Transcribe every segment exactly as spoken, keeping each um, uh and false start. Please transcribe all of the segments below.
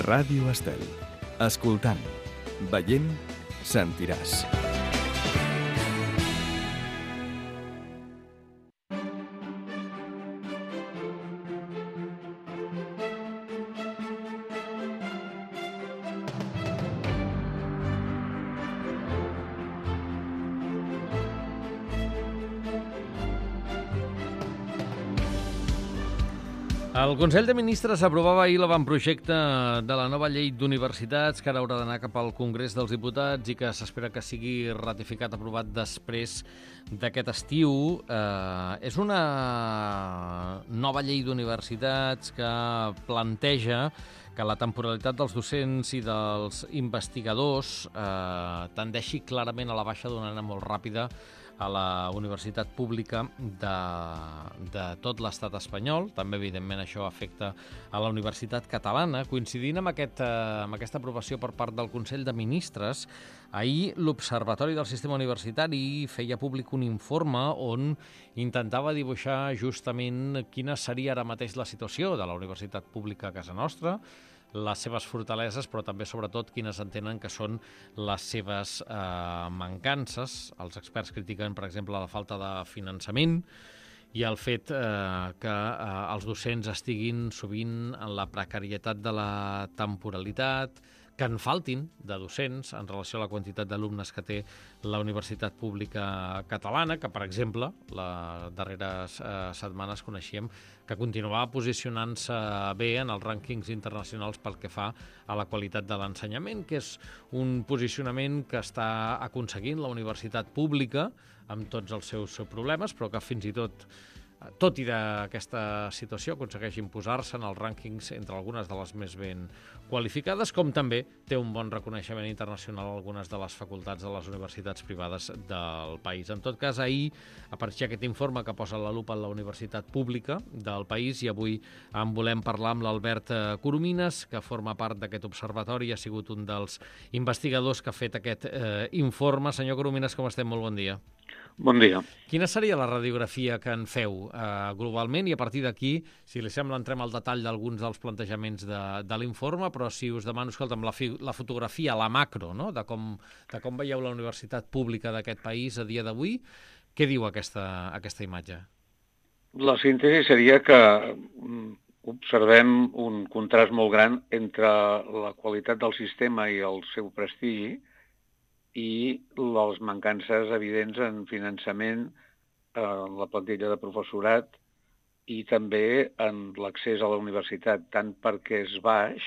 Ràdio Estel. Escoltant, veient, sentiràs. El Consell de Ministres aprovava ahir l'avantprojecte de la nova llei d'universitats que ara haurà d'anar cap al Congrés dels Diputats i que s'espera que sigui ratificat, aprovat després d'aquest estiu. Eh, és una nova llei d'universitats que planteja que la temporalitat dels docents i dels investigadors eh, tendeixi clarament a la baixa d'una manera molt ràpida a la universitat pública de, de tot l'estat espanyol. També, evidentment, això afecta a la universitat catalana. Coincidint amb, aquest, amb aquesta aprovació per part del Consell de Ministres, ahir l'Observatori del Sistema Universitari feia públic un informe on intentava dibuixar justament quina seria ara mateix la situació de la universitat pública a casa nostra, les seves fortaleses, però també, sobretot, quines entenen que són les seves eh, mancances. Els experts critiquen, per exemple, la falta de finançament i el fet eh, que eh, els docents estiguin sovint en la precarietat de la temporalitat, que en faltin de docents en relació a la quantitat d'alumnes que té la Universitat Pública Catalana, que, per exemple, les darreres eh, setmanes coneixíem que continuava posicionant-se bé en els rànquings internacionals pel que fa a la qualitat de l'ensenyament, que és un posicionament que està aconseguint la universitat pública amb tots els seus problemes, però que fins i tot tot i d'aquesta situació, aconsegueix imposar-se en els rànquings entre algunes de les més ben qualificades, com també té un bon reconeixement internacional a algunes de les facultats de les universitats privades del país. En tot cas, ahir apareixia aquest informe que posa la lupa en la universitat pública del país i avui en volem parlar amb l'Albert Coromines, que forma part d'aquest observatori i ha sigut un dels investigadors que ha fet aquest eh, informe. Senyor Coromines, com estem? Molt bon dia. Bon dia. Quina seria la radiografia que en feu eh, globalment i a partir d'aquí, si li sembla, entrem al detall d'alguns dels plantejaments de, de l'informe, però si us demano, escolta'm, la, fi, la fotografia, la macro, no?, de com, de com veieu la universitat pública d'aquest país a dia d'avui, què diu aquesta, aquesta imatge? La síntesi seria que observem un contrast molt gran entre la qualitat del sistema i el seu prestigi i les mancances evidents en finançament, en la plantilla de professorat i també en l'accés a la universitat, tant perquè és baix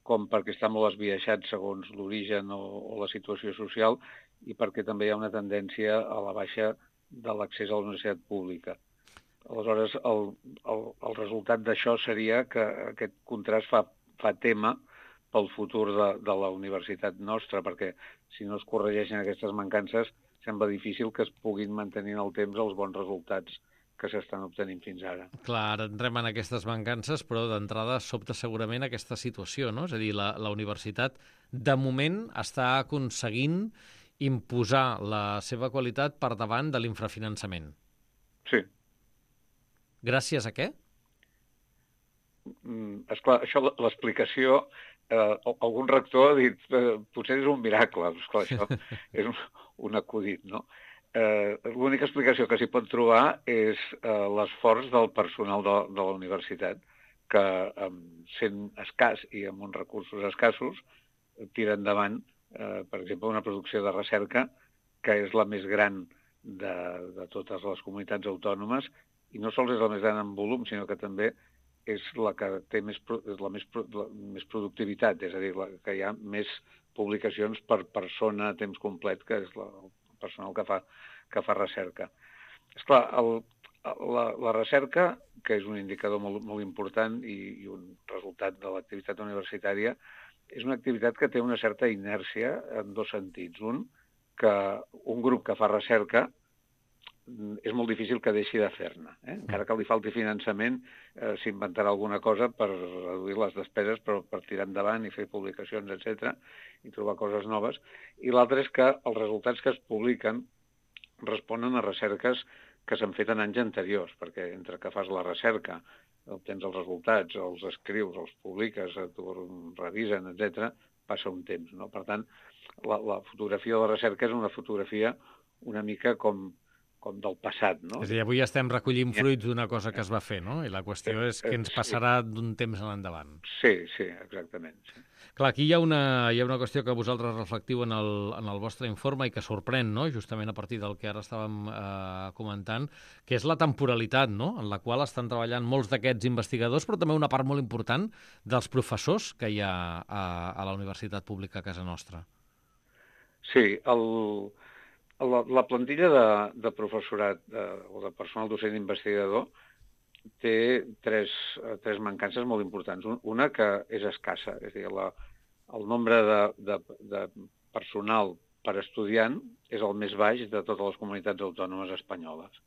com perquè està molt esbiaixat segons l'origen o, o la situació social i perquè també hi ha una tendència a la baixa de l'accés a la universitat pública. Aleshores, el, el, el resultat d'això seria que aquest contrast fa, fa tema pel futur de, de la universitat nostra, perquè si no es corregeixen aquestes mancances, sembla difícil que es puguin mantenir en el temps els bons resultats que s'estan obtenint fins ara. Clar, ara entrem en aquestes mancances, però d'entrada sobta segurament aquesta situació, no? És a dir, la, la universitat de moment està aconseguint imposar la seva qualitat per davant de l'infrafinançament. Sí. Gràcies a què? Mm, esclar, això, l'explicació... Eh, algun rector ha dit eh, potser és un miracle, esclar, això és un, un acudit, no? Eh, l'única explicació que s'hi pot trobar és eh, l'esforç del personal de, de la universitat, que eh, sent escàs i amb uns recursos escassos tira endavant, eh, per exemple, una producció de recerca que és la més gran de, de totes les comunitats autònomes, i no sols és la més gran en volum, sinó que també és la que té més, és la més, la, més productivitat, és a dir, la, que hi ha més publicacions per persona a temps complet, que és la, el personal que fa, que fa recerca. Esclar, el, la, la recerca, que és un indicador molt, molt important i, i un resultat de l'activitat universitària, és una activitat que té una certa inèrcia en dos sentits. Un, que un grup que fa recerca és molt difícil que deixi de fer-ne. Eh? Encara que li falti finançament, eh, s'inventarà alguna cosa per reduir les despeses, però per tirar endavant i fer publicacions, etcètera, i trobar coses noves. I l'altre és que els resultats que es publiquen responen a recerques que s'han fet en anys anteriors, perquè entre que fas la recerca obtens els resultats, els escrius, els publiques, t'ho revisen, etcètera, passa un temps, no? Per tant, la, la fotografia de la recerca és una fotografia una mica com, com del passat, no? És a dir, avui estem recollint fruits d'una cosa que es va fer, no? I la qüestió és què ens passarà d'un temps en endavant. Sí, sí, exactament. Sí. Clar, aquí hi ha una, hi ha una qüestió que vosaltres reflectiu en el, en el vostre informe i que sorprèn, no?, justament a partir del que ara estàvem eh, comentant, que és la temporalitat, no?, en la qual estan treballant molts d'aquests investigadors, però també una part molt important dels professors que hi ha a, a la Universitat Pública a casa nostra. Sí, el... La, la plantilla de, de professorat de, o de personal docent investigador té tres, tres mancances molt importants. Una que és escassa, és a dir, la, el nombre de, de, de personal per estudiant és el més baix de totes les comunitats autònomes espanyoles.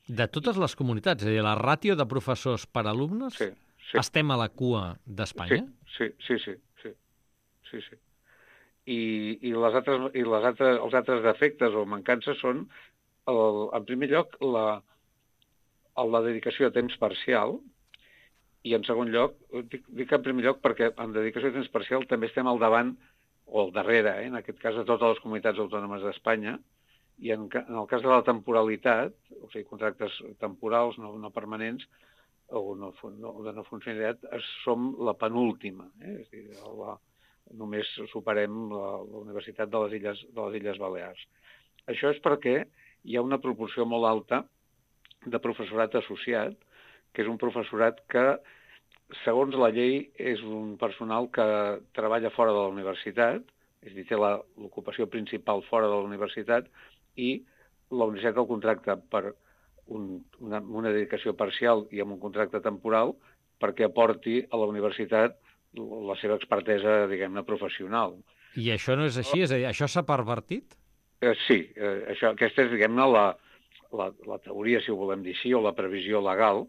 De totes les comunitats? És a dir, la ràtio de professors per alumnes, sí, sí. Estem a la cua d'Espanya? Sí, sí, sí, sí, sí, sí. I, i, les altres, i les altres, els altres defectes o mancances són, el, en primer lloc, la, la dedicació a temps parcial, i en segon lloc, dic, dic en primer lloc perquè en dedicació a temps parcial també estem al davant, o al darrere, eh, en aquest cas de totes les comunitats autònomes d'Espanya, i en, en el cas de la temporalitat, o sigui, contractes temporals, no, no permanents, o no, no, de no funcionalitat, som la penúltima, eh, és a dir, la només superem la, la Universitat de les, Illes, de les Illes Balears. Això és perquè hi ha una proporció molt alta de professorat associat, que és un professorat que, segons la llei, és un personal que treballa fora de la universitat, és a dir, té l'ocupació principal fora de la universitat, i la universitat el contracta per un, una, una dedicació parcial i amb un contracte temporal perquè aporti a la universitat la seva expertesa, diguem-ne, professional. I això no és així? És a dir, això s'ha pervertit? Eh, sí, eh, això, aquesta és, diguem-ne, la, la, la teoria, si ho volem dir així, o la previsió legal,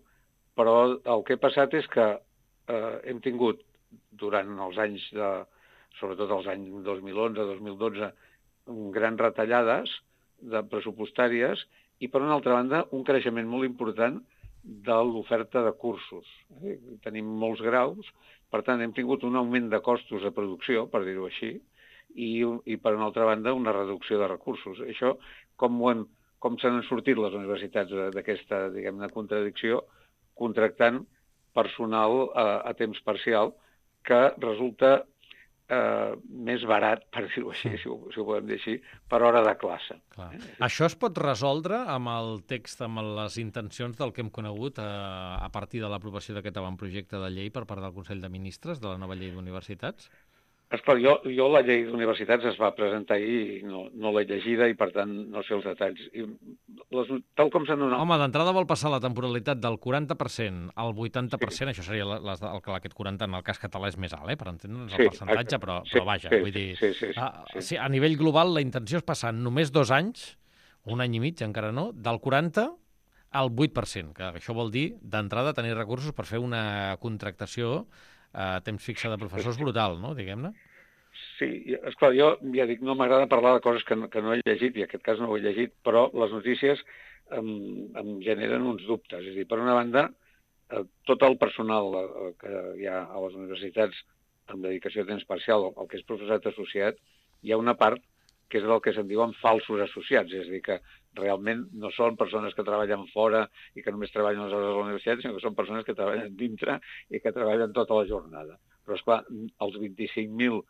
però el que ha passat és que eh, hem tingut, durant els anys, de, sobretot els anys dos mil onze dos mil dotze, grans retallades de pressupostàries i, per una altra banda, un creixement molt important de l'oferta de cursos. Eh? Tenim molts graus, per tant, hem tingut un augment de costos de producció, per dir-ho així, i, i per una altra banda, una reducció de recursos. Això, com, ho hem, com se n'han sortit les universitats d'aquesta, diguem-ne, contradicció, contractant personal a, a temps parcial, que resulta eh, més barat, per dir-ho així, si ho, si ho podem dir així, per hora de classe. Clar. Eh? Això es pot resoldre amb el text, amb les intencions del que hem conegut a, a partir de l'aprovació d'aquest avantprojecte de llei per part del Consell de Ministres de la nova llei d'universitats? Esclar, jo, jo la llei d'universitats es va presentar ahir i no, no l'he llegida i, per tant, no sé els detalls. I les, tal com s'han donat... Home, d'entrada vol passar la temporalitat del quaranta per cent al vuitanta per cent, sí. Això seria la, les, el, aquest quaranta en el cas català és més alt, eh, per entendre'ns el sí, percentatge, però, sí, però vaja, sí, vull dir... Sí, sí, sí, a, sí. sí, a nivell global la intenció és passar només dos anys, un any i mig encara no, del quaranta al vuit per cent, que això vol dir d'entrada tenir recursos per fer una contractació a temps fixe de professors brutal, no?, diguem-ne. Sí, esclar, jo ja dic, no m'agrada parlar de coses que no, que no he llegit, i en aquest cas no ho he llegit, però les notícies em, em generen uns dubtes. És a dir, per una banda, eh, tot el personal eh, que hi ha a les universitats amb dedicació a temps parcial, el que és professorat associat, hi ha una part que és el que se'n diuen falsos associats, és a dir, que realment no són persones que treballen fora i que només treballen les hores de la universitat, sinó que són persones que treballen dintre i que treballen tota la jornada. Però, esclar, els vint-i-cinc mil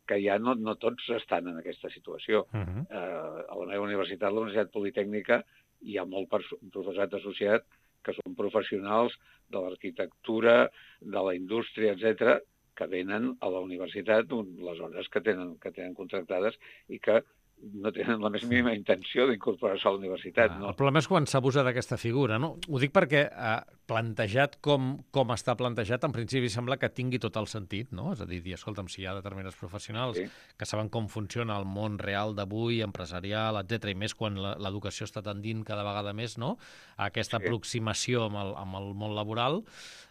que ja no, no tots estan en aquesta situació. Uh-huh. eh, a la meva universitat, la Universitat Politècnica, hi ha molt professorat associat que són professionals de l'arquitectura, de la indústria, etcètera, que venen a la universitat les hores que tenen, que tenen contractades i que no tenen la més mínima intenció d'incorporar-se a la universitat. Ah, no? El problema és quan s'abusa d'aquesta figura, no? Ho dic perquè eh, plantejat com, com està plantejat, en principi sembla que tingui tot el sentit, no? És a dir, dir escolta'm, si hi ha determinats professionals sí. que saben com funciona el món real d'avui, empresarial, etcètera, i més quan l'educació està tendint cada vegada més, no?, a aquesta sí. aproximació amb el, amb el món laboral,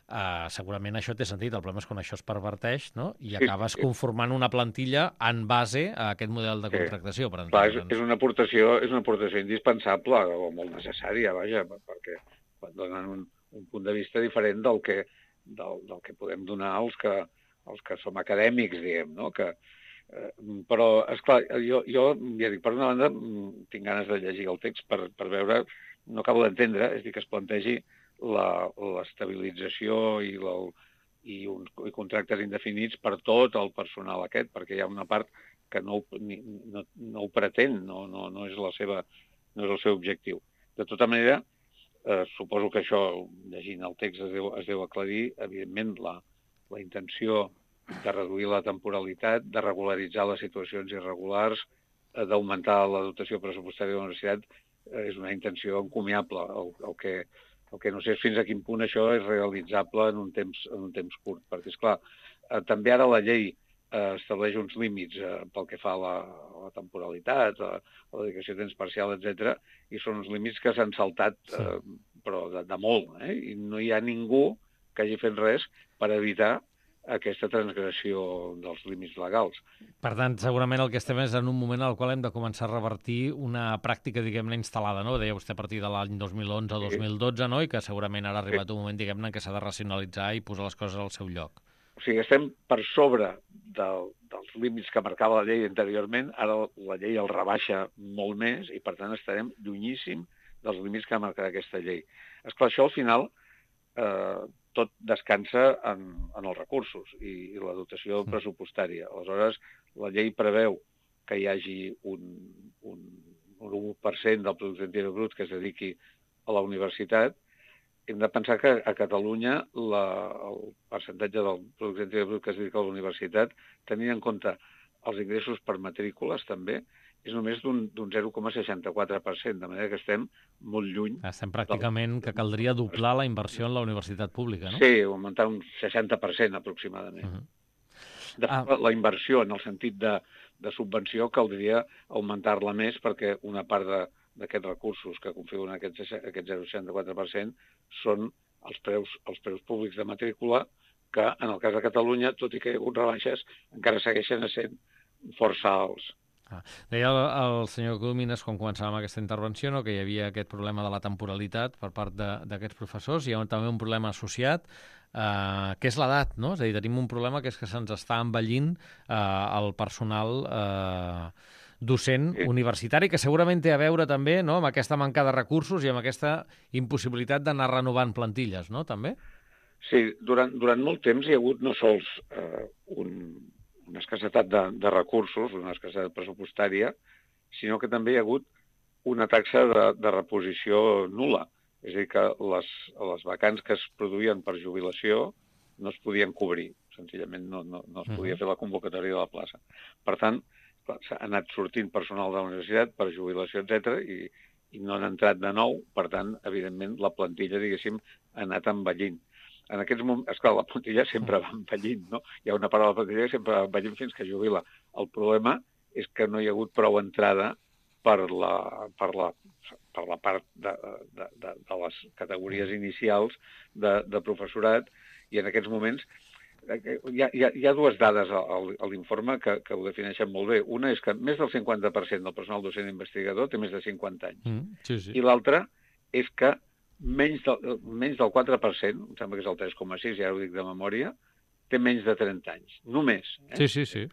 Uh, segurament això té sentit. El problema és quan això es perverteix, no?, i sí, acabes sí. conformant una plantilla en base a aquest model de contractació. Sí. Per Clar, és, és, una aportació, és una aportació indispensable o molt necessària, vaja, perquè quan donen un, un punt de vista diferent del que, del, del que podem donar als que, els que som acadèmics, diguem, no? Que, eh, però, esclar, jo, jo, ja dic, per una banda, tinc ganes de llegir el text per, per veure, no acabo d'entendre, és a dir, que es plantegi l'estabilització i, la, i, un, i contractes indefinits per tot el personal aquest, perquè hi ha una part que no, ni, no, no ho pretén, no, no, no, és la seva, no és el seu objectiu. De tota manera, eh, suposo que això, llegint el text, es deu, es deu aclarir, evidentment, la, la intenció de reduir la temporalitat, de regularitzar les situacions irregulars, eh, d'augmentar la dotació pressupostària de la universitat, eh, és una intenció encomiable. El, el, que, el que no sé és fins a quin punt això és realitzable en un temps, en un temps curt, perquè, esclar, eh, també ara la llei eh, estableix uns límits eh, pel que fa a la, a la temporalitat, a, a la dedicació a temps parcial, etcètera, i són uns límits que s'han saltat, eh, però de, de molt, eh? I no hi ha ningú que hagi fet res per evitar aquesta transgressió dels límits legals. Per tant, segurament el que estem és en un moment en el qual hem de començar a revertir una pràctica, diguem-ne, instal·lada, no? Deia vostè a partir de l'any dos mil onze o dos mil dotze, no? I que segurament ara ha arribat un moment, diguem-ne, que s'ha de racionalitzar i posar les coses al seu lloc. O sigui, estem per sobre del, dels límits que marcava la llei anteriorment, ara la llei el rebaixa molt més i, per tant, estarem llunyíssim dels límits que marcarà aquesta llei. Esclar, això al final eh, tot descansa en, en els recursos i, i la dotació pressupostària. Aleshores, la llei preveu que hi hagi un, un, un u per cent del producte interior brut que es dediqui a la universitat. Hem de pensar que a Catalunya la, el percentatge del producte interior brut que es dedica a la universitat, tenint en compte els ingressos per matrícules també, és només d'un zero coma seixanta-quatre per cent, de manera que estem molt lluny. Estem pràcticament que caldria doblar la inversió en la universitat pública, no? Sí, augmentar un seixanta per cent aproximadament. Uh-huh. De fet, ah. la inversió en el sentit de, de subvenció caldria augmentar-la més perquè una part d'aquests recursos que configuren aquest, aquest zero coma seixanta-quatre per cent són els preus, els preus públics de matrícula que, en el cas de Catalunya, tot i que hi ha hagut rebaixes, encara segueixen sent força alts. Ah, deia el, el senyor Colomines, quan començàvem aquesta intervenció, no, que hi havia aquest problema de la temporalitat per part d'aquests professors. Hi ha també un problema associat, eh, que és l'edat, no? És a dir, tenim un problema que és que se'ns està envellint eh, el personal eh, docent sí. universitari, que segurament té a veure també, no, amb aquesta manca de recursos i amb aquesta impossibilitat d'anar renovant plantilles, no?, també? Sí, durant, durant molt temps hi ha hagut no sols eh, un... una escassetat de, de recursos, una escassetat pressupostària, sinó que també hi ha hagut una taxa de, de reposició nul·la. És a dir, que les, les vacants que es produïen per jubilació no es podien cobrir. Senzillament no, no, no es podia fer la convocatòria de la plaça. Per tant, s'ha anat sortint personal de la universitat per jubilació, etcètera, i, i no han entrat de nou. Per tant, evidentment, la plantilla, diguéssim, ha anat envellint. En aquests moments, esclar, la plantilla sempre va envellint, no? Hi ha una part de la plantilla que sempre va envellint fins que jubila. El problema és que no hi ha hagut prou entrada per la, per la, per la part de, de, de, de les categories inicials de, de professorat, i en aquests moments hi ha, hi ha, hi ha dues dades a, a l'informe que, que ho defineixen molt bé. Una és que més del cinquanta per cent del personal docent investigador té més de cinquanta anys. Mm, sí, sí. I l'altra és que menys del, menys del quatre per cent, em sembla que és el tres coma sis, ja ho dic de memòria, té menys de trenta anys, només. Eh? Sí, sí, sí.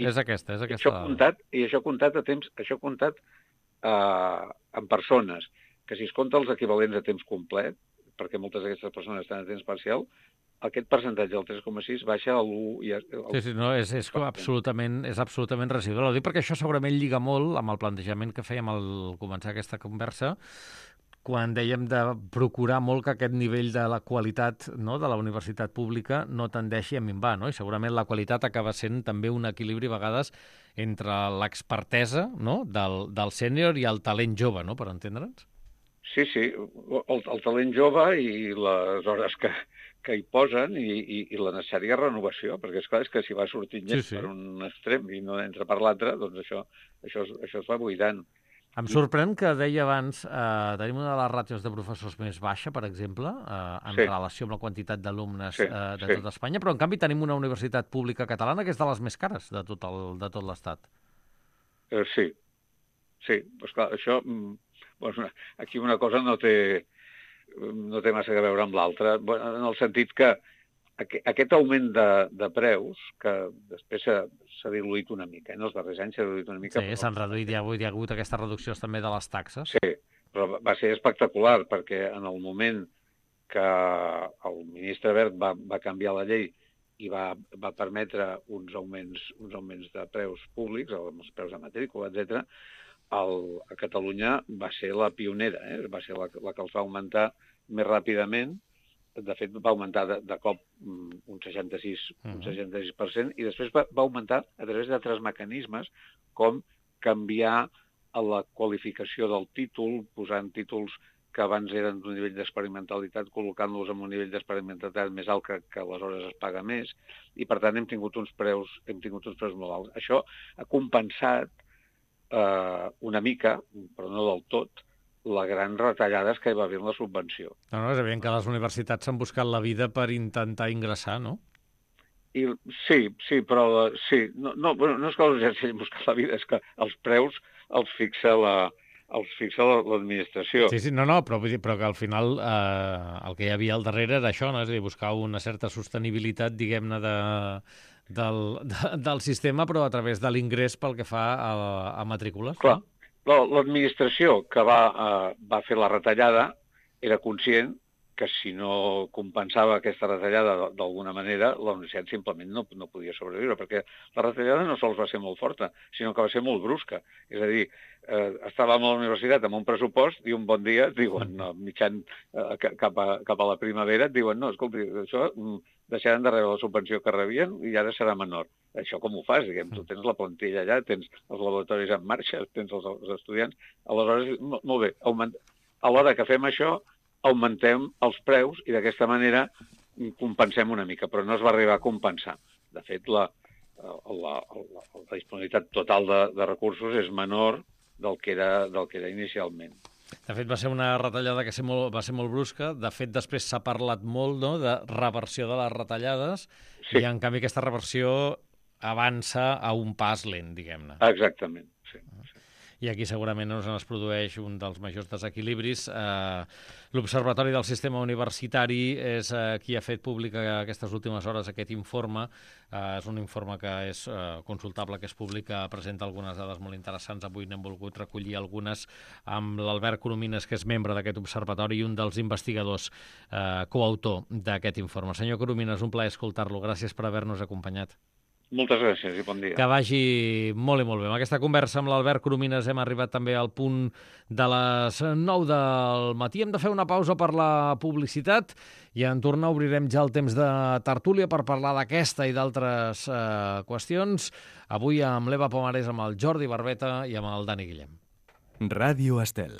I és aquesta, és aquesta. Això comptat, I això comptat a temps, això comptat eh, en persones, que si es compta els equivalents a temps complet, perquè moltes d'aquestes persones estan a temps parcial, aquest percentatge del tres coma sis baixa a l'u... Sí, sí, no, és, és, absolutament, és absolutament residual. Ho dic perquè això segurament lliga molt amb el plantejament que fèiem al començar aquesta conversa, quan dèiem de procurar molt que aquest nivell de la qualitat, no, de la universitat pública no tendeixi a minvar, no? I segurament la qualitat acaba sent també un equilibri a vegades entre l'expertesa, no, del, del sènior i el talent jove, no?, per entendre'ns. Sí, sí, el, el talent jove i les hores que, que hi posen i, i, i la necessària renovació, perquè és clar, és que si va sortint gent sí, sí. per un extrem i no entra per l'altre, doncs això, això, això es va buidant. Em sorprèn que deia abans, eh, tenim una de les ràtios de professors més baixa, per exemple, eh, en sí. relació amb la quantitat d'alumnes sí, eh, de sí. tot Espanya, però en canvi tenim una universitat pública catalana que és de les més cares de tot el, de tot l'Estat. Eh, sí, sí, doncs clar, això, bueno, aquí una cosa no té, no té massa a veure amb l'altre, en el sentit que aquest augment de, de preus, que després s'ha diluït una mica, en els darrers anys s'ha diluït una mica. Sí, s'han reduït, hi ha, hi ha hagut aquestes reduccions també de les taxes. Sí, però va ser espectacular, perquè en el moment que el ministre Wert va, va canviar la llei i va, va permetre uns augments, uns augments de preus públics, els preus de matrícula, etcètera, el, a Catalunya va ser la pionera, eh? Va ser la, la que els va augmentar més ràpidament. De fet, va augmentar de, de cop un seixanta-sis per cent i després va, va augmentar a través d'altres mecanismes, com canviar la qualificació del títol, posant títols que abans eren d'un nivell d'experimentalitat, col·locant-los en un nivell d'experimentalitat més alt que, que aleshores es paga més, i per tant hem tingut uns preus, hem tingut uns preus molt alts. Això ha compensat eh, una mica, però no del tot, la gran retallades que hi va haver en la subvenció. No, no, és evident que les universitats s'han buscat la vida per intentar ingressar, no? I, sí, sí, però sí, no, no, bueno, no és que els hagin buscat la vida, és que els preus els fixa la, els fixa l'administració. Sí, sí, no, no, però, vull dir, però que al final eh, el que hi havia al darrere era això, no? És a dir, buscar una certa sostenibilitat, diguem-ne, de, del, de, del sistema, però a través de l'ingrés pel que fa a, a matrícules. Clar. No? L'administració que va, eh, va fer la retallada era conscient que si no compensava aquesta retallada d'alguna manera, la universitat simplement no, no podia sobreviure, perquè la retallada no sols va ser molt forta, sinó que va ser molt brusca. És a dir, eh, estàvem a la universitat amb un pressupost i un bon dia et diuen, no, mitjan eh, cap, a, cap a la primavera, et diuen, no, escolti, això deixaran de rebre la subvenció que rebien i ara serà menor. Això com ho fas? Diguem, tu tens la plantilla allà, tens els laboratoris en marxa, tens els, els estudiants. Aleshores, molt bé, augment... a l'hora que fem això, augmentem els preus i d'aquesta manera compensem una mica, però no es va arribar a compensar. De fet, la, la, la, la disponibilitat total de, de recursos és menor del que era, del que era inicialment. De fet, va ser una retallada que ser molt, va ser molt brusca. De fet, després s'ha parlat molt, no?, de reversió de les retallades, sí. I en canvi aquesta reversió avança a un pas lent, diguem-ne. Exactament, sí. I aquí segurament no es produeix un dels majors desequilibris. Eh, L'Observatori del Sistema Universitari és eh, qui ha fet públic aquestes últimes hores aquest informe. Eh, és un informe que és eh, consultable, que és públic, que presenta algunes dades molt interessants. Avui n'hem volgut recollir algunes amb l'Albert Coromines, que és membre d'aquest observatori i un dels investigadors eh, coautor d'aquest informe. Senyor Coromines, un plaer escoltar-lo. Gràcies per haver-nos acompanyat. Moltes gràcies i bon dia. Que vagi molt i molt bé. Amb aquesta conversa amb l'Albert Coromines hem arribat també al punt de les nou del matí. Hem de fer una pausa per la publicitat i en tornar obrirem ja el temps de tertúlia per parlar d'aquesta i d'altres eh, qüestions. Avui amb l'Eva Pomares, amb el Jordi Barbeta i amb el Dani Guillem. Ràdio Estel.